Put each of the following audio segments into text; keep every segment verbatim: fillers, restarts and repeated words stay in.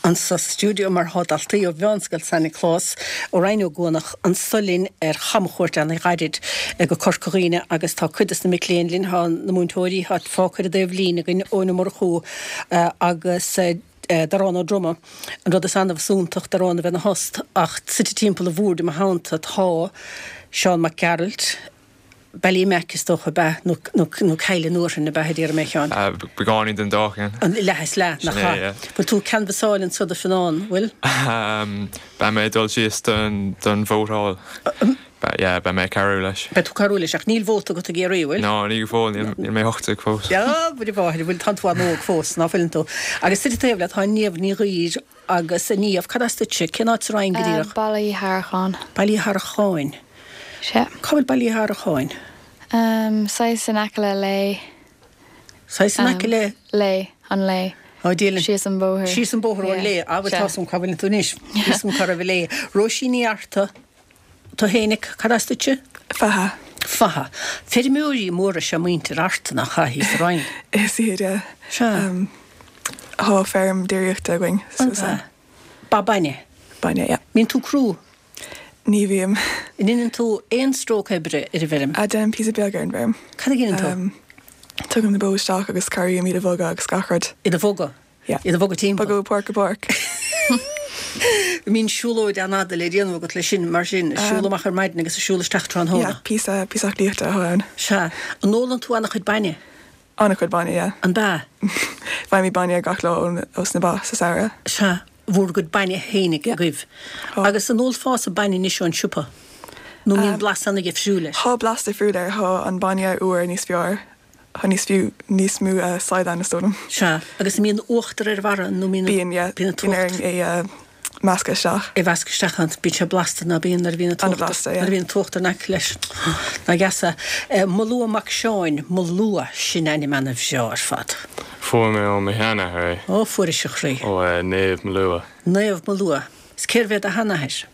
Anso sa stiúideo mar thá daltaí ó Mheánscoil San Nioclás ó Rinn Ó gCuanach anso linn ar chamchuairt an-ghairid go Corca Dhuibhne agus tá cuid des na mic léinn linn, thá na múinteoirí thá fágtha ar an dtaobh líne againn, Eoin Ó Murchú agus Darán Ó Droma. An rud is annamh is iontach Darán a bheith ina thost ach suite timpeall an bhoird i mo theannta tá Seán Mac Gearailt, Ballymac is dócha ab ea, nó nó Cill an Uathrainn ab ea a déarfaidh mé, a Sheáin. Beagáinín den dá cheann. An leath is leath, nach Sin é, ea? yeah. Bhfuil tú ag canbhasáil anso do Fionnán, bhfuil? Beidh mé ag dul síos don don vótáil. Beidh, yeah, beidh mé ag cabhrú leis. Beidh tú ag cabhrú leis, ach níl vóta agat i gCiarraí, bhfuil? No, ní go fóill, níl níl mé ocht déag fós. A Mhuire Mháthair, bhfuil, tánn tú an-óg fós, ná fuileann tú? Agus suite taobh leat tá Niamh Ní Ghaoir agus a Niamh, cad as duitse? Cén áit sa Rinn go díreach? Baile Uí Shearacháin. Baile Uí Shearacháin. Sea. Cá bhfuil Baile Uí Shearacháin? Um, saghas in aice le Lao. Saghas in aice le? Lao, an Lao. Ó, Dia linn. Síos an bóthar. Síos an bóthar ón Lao. Ah, bhuel, tá 'fhios a'm cá bhfuileann tú anois. Tá 'fhios a'm cá raibh Lao. Róisín Ní Fhearta, tú fhéinig, cad as duitse? Fatha. Fatha. Feirmeoirí móra is ea muintir Fhearta, nach ea, thíos sa Rinn? Is iad, yeah. Sea. Um, thá feirm déiríochta againn. An ea? Ba bainne? Bainne, yeah. Mbíonn tú crua? Ní bhím. An ndéanann tú aon stróc oibre ar an bhfeirm? Ah, déanaim píosa beag ar an bhfeirm. Cad a dhéanann tú? Tugaim na bó isteach agus cabhraím iad a bhogadh agus gach rud. Iad a bhogadh? Yeah. Iad a bhogadh timpeall? Bogadh ó pháirc go páirc. An mbíonn siúlóid an-fhada le déanamh agat leis sin, mar sin, ag siúl amach ar maidin agus ag siúl isteach tráthnóna? Yeah, píosa, píosa aclaíochta atá ann. Sea. An ólann tú an-chuid bainne? An-chuid bainne, yeah. An b'ea? Faighimid bainne gach lá ón, ós na ba sa samhradh. Sea. Bhur gcuid bainne fhéinig agaibh. Agus an ólfása bainne anois ón siopa? Nó an mbíonn blas an-dhifriúil air? Thá blas difriúil air, thá an bainne úr níos fearr, thá níos fiú, níos mó sail ann is dóigh liom. Sea. Agus an mbíonn uachtar ar a bharra nó mbíonn? Bíonn, yeah. Bíonn an Bíonn t-uachtar. orainn é a mheascadh isteach. É mheascadh isteach ann. Bíonn sé blasta ná bíonn nuair a bhíonn an t-uachtar. An-bhlasta, yeah. Nuair a bhíonn an t-uachtar in aice leis. Nach deas é. Molua Mac Seáin, Molua, sin ainm ana-bhreá ar fad. Fuair mé ó mo sheanathair é. Ó, fuairis a chroí. Ó Naomh Molua. Naomh Molua. Is cérbh é do sheanathair?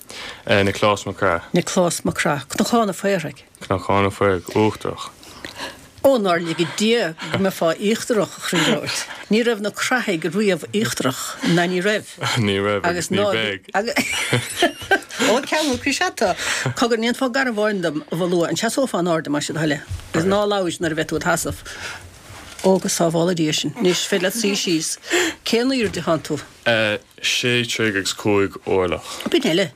Nioclás Mac Craith. Nioclás Mac Craith. Cnocán an Phaoraigh. Cnocán an Phaoraigh Uachtarach. Ó, nár lige Dia go mbeifeá íochtarach, a chroí bhróid. Ní raibh na Crathaigh riamh íochtarach, ná ní raibh. Ní raibh agus ní bheidh. Ó, ceangal croí is ea tú. Cogar, an ndéanfá garbhán dom, a Mholua, an seasófá in airde, más é do thoil é? Agus ná labhair nuair a bheidh tú id sheasamh. Ó, go sábhála Dia sinn. Anois, féidir leat suí síos. Cén aoirde atánn tú? Sé troigh agus cúig orlach. B'in eile.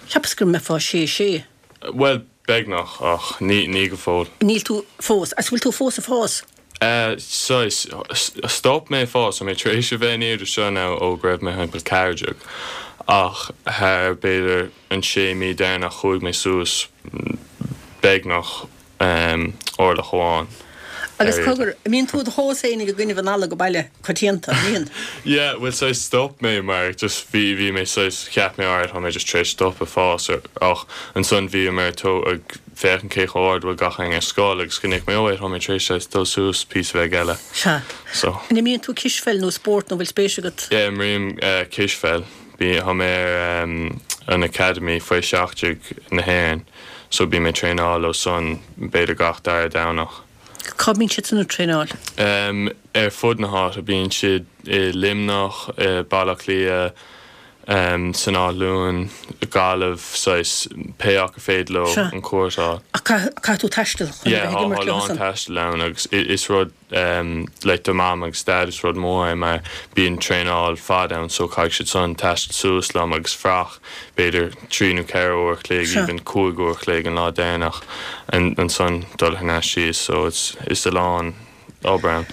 Cheapas go mbeifeá sé sé. Bhuel, beagnach, ach ní, ní go fóill. Níl tú fós. Agus bhfuil tú fós ag fás? Eh, saghas, stop mé ag fás, tá mé tar éis a bheith an airde seo now ó go raibh mé thimpeall ceathair déag, ach thar b'fhéidir an sé mí deireanach chuaigh mé suas beagnach orlach amháin. Agus cogar, an mbíonn tú i do thomhas fhéinig i gcoinnibh an fhalla go baile coitianta, an mbíonn? Yeah, bhuel saghas stop mé mar just bhí, bhí mé saghas, cheap mé alright tá mé just tar éis stop ag fás ach ansan bhíomar ag ag féachaint cé chomh ard bhfuil gach éinne ar scoil agus chonaic mé oh wait tá mé tar éis saghas dul suas píosa beag eile. Sea. So. An imríonn tú cispheil nó spórt nó bhfuil spéis agat? Yeah, imrím cispheil. Bí, tá mé ar an Academy faoi seacht déag na hÉireann so bím ag traenáil leo san b'fhéidir gach dara Domhnach. Cá mbíonn siad san ag traenáil? Ar fud na háite. Bíonn siad i Luimneach, i Baile Átha Cliath, san Áth Luain, Gaillimh, saghas pé acu féidir leo an cuairt a fháil. Ach caithfidh tú taisteal chun a bheith ag imirt leo san? Yeah, tá a lán taistil ann agus is rud like do mam agus dad is rud mór é mar bíonn traenáil fada ann so caithfidh siad san taisteal suas liom agus fuacht b'fhéidir trí nó ceithre uair a chloig even cúig uair a chloig an lá deireanach ansan dul thar n-ais síos so it's is a lán obair ann.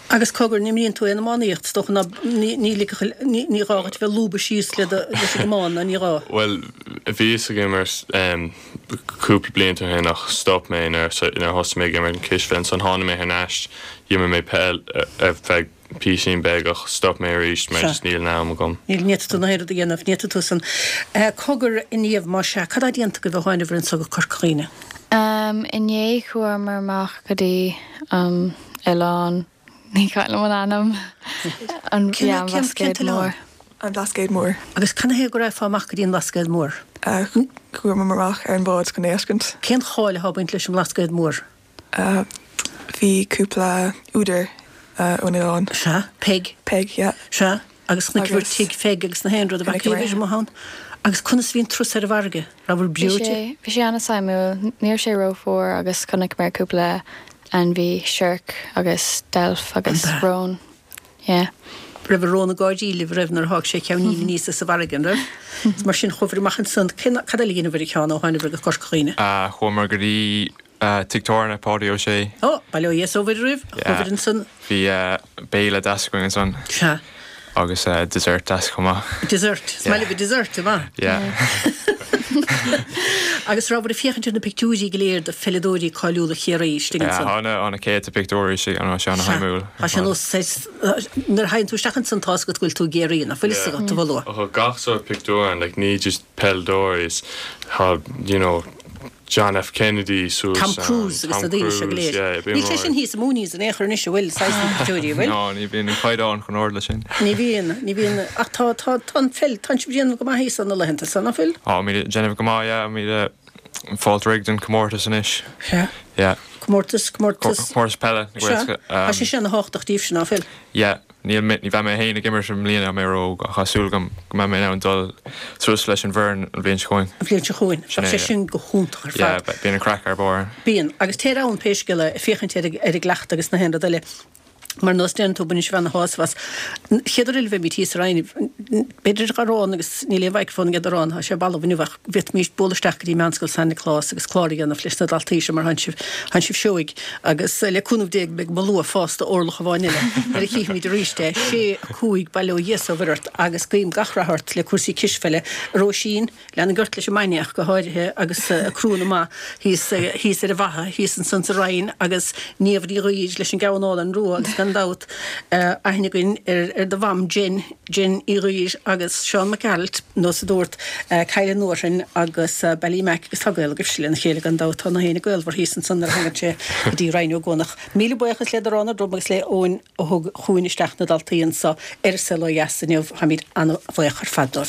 Agus cogar, an imríonn tú aon iománaíocht? Is dócha ná ní ní ligfeadh ní ní gá dhuit bheith lúbtha síos le do leis an gcamán ná ní gá? Bhuel bhíos ag imirt em cúpla blianta ó shin ach stop mé nuair nuair a thosaigh mé ag imirt an cispheil ansan tháinig mé thar n-ais d'imir mé peil ar feadh píosín beag ach stop mé arís mar just níl an am agam. Níl, ní fhéadfaidh tú na haon rud a dhéanamh, ní fhéadfaidh tú san. Cogar, a Niamh, más ea, cad tá déanta agaibh ó thánabhair anso go Corca Dhuibhne? Inné chuamar amach go dtí an oileán, ní cuimhin liom an ainm, an Cén yeah, an cén cén Blascaod t-oileán? Mór. An Blascaod Mór. Agus cad ina thaobh go raghfá amach go dtí an Blascaod Mór? Chuamar amach ar an bhád chun é a fheiscint. Cén cháil atá ag baint leis an mBlascaod Mór? Bhí cúpla údar ón oileán. Sea, Peig. Peig, yeah. Sea. Agus chonaiceabhair Agus Tigh Pheig agus na haon rud a bheadh Chonaiceamar. aoibhinn amuigh ann. Agus conas a bhí an turas ar an bhfarraige? Rabhabhair Bhí breoite? sé bhí sé an-suimiúil, ní raibh sé rófhuar agus chonaiceamar cúpla ainmhí, siorc agus deilf agus An ea? rón. Yeah. Raibh an rón ag gáirí libh raibh nuair a sháigh sé a cheainnín aníos as an bhfarraige, an raibh? Is mar sin chuabhair amach ansan, cén cad eile a dheineabhair a Sheáin ó tháinabhair go Corca Dhuibhne? Uh, chuamar go dtí uh, Tigh Tábhairne Páidí Ó Sé. Ó, bail ó Dhia is ó Mhuire oraibh, Yeah. chuabhair ansan. Bhí uh, béile deas againn ansan Sea. agus uh, dessert deas chomh maith. Dessert. Is maith libh dessert, maith. Yeah. Agus rabhabhair ag féachaint ar na pictiúirí go léir de pheileadóirí cáiliúla Chiarraí istigh Yeah, ansan. Tá na tá na céadta pictiúirí sé an sé an-shuimiúil. Tá sé nós nuair a théann tú isteach ansan tá a fhios agat go bhfuil tú i gCiarraí, nach bhfuil a fhios agat a bhfuil. Tá gach sórt pictiúr ann, like ní just peileadóirí, tá you know John F. Kennedy suas Tom Cruise agus na daoine seo go léir. Níl sé sin thíos i Mooney's in aon chor anois a bhfuil saghas na pictiúirí, an bhfuil? No, ní bhíonn an caighdeán chomh hard leis sin. Ní bhíonn, ní bhíonn ach tá tá tá an pheil, tá sibh ag déanamh go maith thíos na laethanta san, nach bhfuil? Á mí déanamh go maith, yeah, mí fáilt rig den comórtas anois. Sea. Yeah. Comórtas, comórtas. Comórtas peile. Sea. Tá sé sin an-tábhachtach daoibhse, nach bhfuil? Yeah, níl mé ní bheidh mé féin ag imirt i mbliana mé ró ach tá súil agam go mbeidh mé in ann dul suas leis an bhfoireann an bhliain seo chugainn. An bhliain seo chugainn. Sin é, Sé sin go hiontach ar Yeah, fad. bíonn an craic ar barr. Bíonn, agus téir ann pé scéal é féachaint ar ar an gcleachtadh agus na haon rud eile. Mar nós déanann tú baineann sibh ana-shásamh as. Chéad uair eile bheimid thíos sa Rinn, b'fhéidir go raibh agus níl aon mhicreafón ag Rán, tá sé balbh inniu ach bhféadfaimis bualadh isteach go dtí Meánscoil San Nioclás agus clár a dhéanamh leis na daltaí seo mar tánn sibh tánn sibh seoigh agus le cúnamh Dé beidh mo luath fosta orlach amháin eile nuair a chífimid arís é sé a cúig bail ó Dhia is ó Mhuire ort agus guím gach rath ort le cúrsaí cispheile Róisín lean ort leis an mbainne ach go háirithe agus crúna maith thíos thíos ar an bhFaiche thíos ansan sa Rinn agus Niamh Ní Ghaoir leis an gceann álainn rua agus gan dabht aithne againn ar ar do mham Jen Jen Uí Ghaoir agus Seán Mac Gearailt nós a dúirt Caile Nuarthain agus Ballymac agus tá gaol agaibhse lena chéile gan dabht tá na héine gaolmhar thíos ansan nuair a thagann sé go dtí Rinn Ó gCuanach. Míle buíochas le Rán Drom agus le Eoin a thug chugainn isteach na daltaí anseo ar Saol Ó Dheas inniu táimid an-bhuíoch ar fad dóibh.